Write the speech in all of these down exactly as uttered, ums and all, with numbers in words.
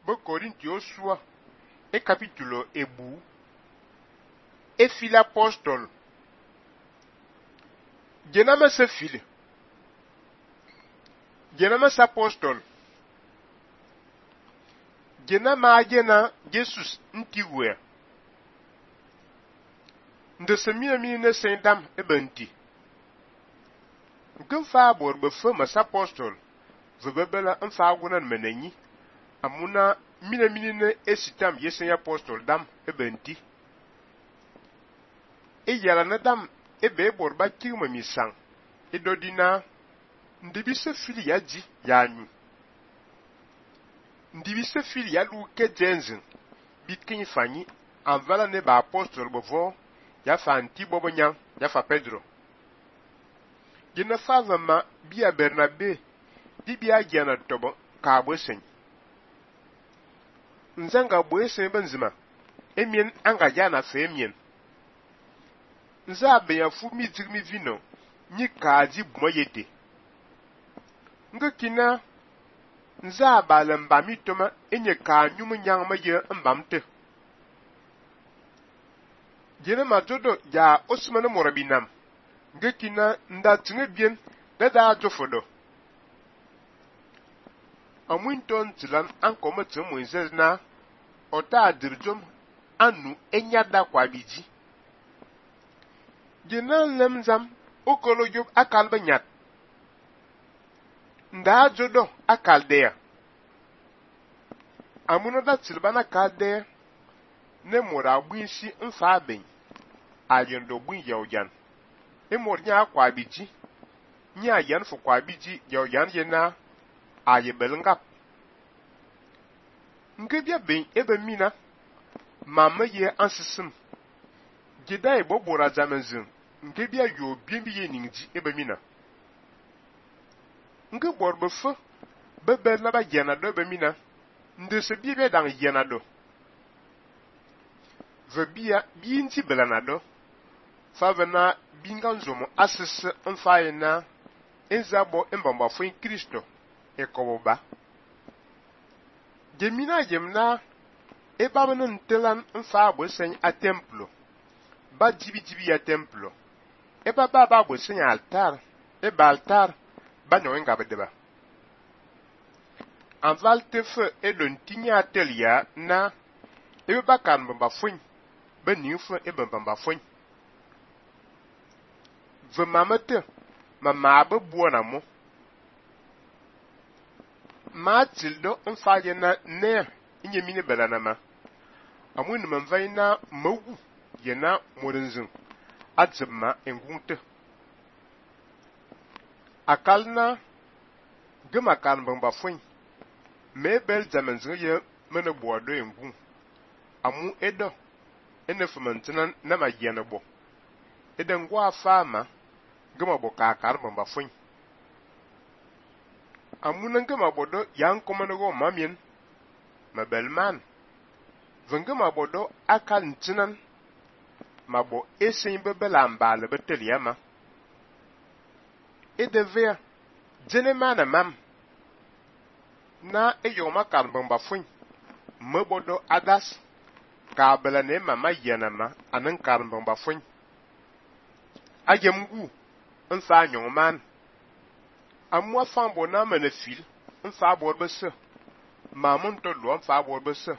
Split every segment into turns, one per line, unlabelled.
Be Corinthians sua e capítulo ebu e fil apostole. Genama se fil. Genama se apostole. Genama agena Jesus ntiwe. Nde se mina mini ne sendam e benti. Nken fa bor be fe mas apostole. Ve bebela nfa gunan menenyi. Amuna mina mini ne esitam yesen apostole dam e benti. E yala na dam e be bor ba kirma misang. E dodina ndibi se fili ya ji ya nyu. Ndibi se fili ya lu ke jenzin. Bi kin fanyi anvala ne ba apostole bevo ya fa anti bobo nyang ya fa Pedro. Gina fa vama bia Bernabe di bia giana tobo ka bosen. Nzanga boesen benzima emien anga jana fe emien. Nza be ya fu mi dirmi vino ni kaji bumoyete. Nga kina nza balamba mitoma enye ka nyumu nyang ma ye mbamte. Jene majodo ya osmane morabinam. Nga kina nda tinge bien da da jofodo. Amunton tilan ankoma timo na ota adirjom anu enyada kwa biji. Jena lemzam okolo job akal banyat. Nda jodo akal dea. Amuno da tilbana kade ne mora buinsi nfa ben. Ayendo buin yawjan. E mor nya kwa biji. Nya yan fo kwa biji yawjan yena aye belngap. Ngebia ben ebe mina mama ye ansisim. Gida e bobora zamenzin. Ngebia yo bienbi ye ningji ebe mina. Nge borbe fe bebe na ba yena do ebe mina. Nde se biebe dang yena do. Ve bia biinti belana do. Favena binganzomo asese mfaye na enzabo mbamba fo in Kristo e koboba. Gemina yemna e babana ntelan mfa bo sen a templo. Ba jibi jibi ya templo. E baba ba bo sen altar. E ba altar ba no nga bedeba. Anval te fe e don tinya telia na e ba kan mbamba fo ba ni fo e mbamba fo. Ve mamete ma mabe buona mo. Ma tildo mfaye na ne inye mini belana ma. Amun manvay na mawu yena morinzin. Adzema engunte. Akalna gema kan bamba fwen. Me bel zamenzin ye mene boado engun. Amu edo ene fumantinan na ma yene bo. Eden gwa fama gema bo ka kar bamba fwen. Amunan gema bodo yang komanogo mamien mabelman. Vengema bodo akal ntinan mabo esen bebela mbale beteliama. E devea jenemana mam na eyoma kan bamba fwen mebodo adas ka bela ne mama yanama anan kan bamba fwen. Ayemgu nfa nyongman. Amwa fambo na menefil nfa borbese. Mamun to lo nfa borbese.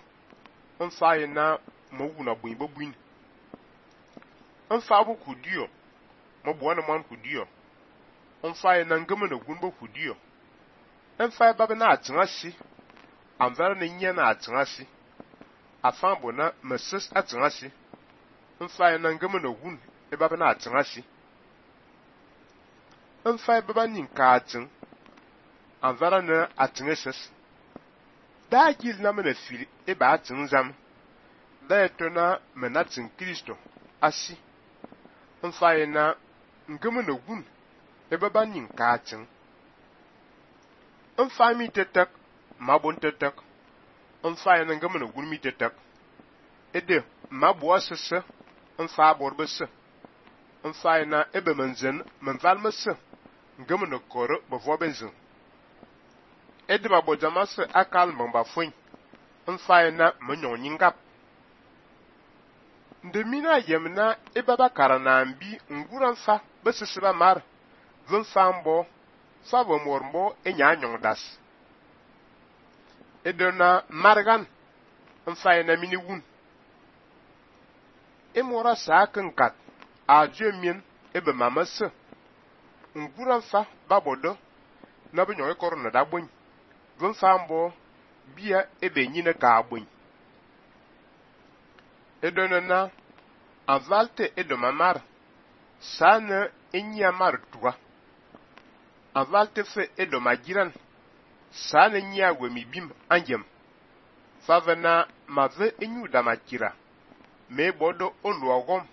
Nfa yena mawuna buin bobuin. Nfa bu kudio. Mo buana man kudio. Nfa yena ngame na gunbo kudio. Nfa baba na atingasi. Amvara na nya na atingasi. Afambo na meses atingasi. Nfa yena ngame na gun e baba na atingasi. Nfa baba ninka ating. Anvara na atingeses. Da gil na menefil e ba ating zam. Da eto na menatin Kristo asi. Nfa yena ngame na gun e baba ninka ating. Nfa mi tetek mabon tetek. Nfa yena ngame na gun mi tetek. Ede mabo asese nfa borbese. Nfa yena ebe menzen menvalmese. Ngame na koro bevo benzin. Ede mabo jamase akal mbamba fwen. mfaye na menyon nyingap. Ndemina yemna ebaba karana mbi ngura mfa besisiba mar. Vunfambo sabo mormbo enya nyongdas. Edona margan mfaye na mini wun. Emora sa kenkat a jemien ebe mamase. Ngura mfa babodo na benyon ekorona da bony. Vunfambo bia ebe nyine ka abony. Edonana avalte edomamar sana enya mar tuwa. Avalte fe edomagiran sana nya wemi bim anjem. Favena mave enyu damakira me bodo oluogom.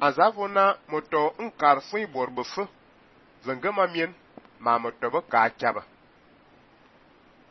Azavona moto nkar fui borbefe vengema mien ma moto be ka chaba.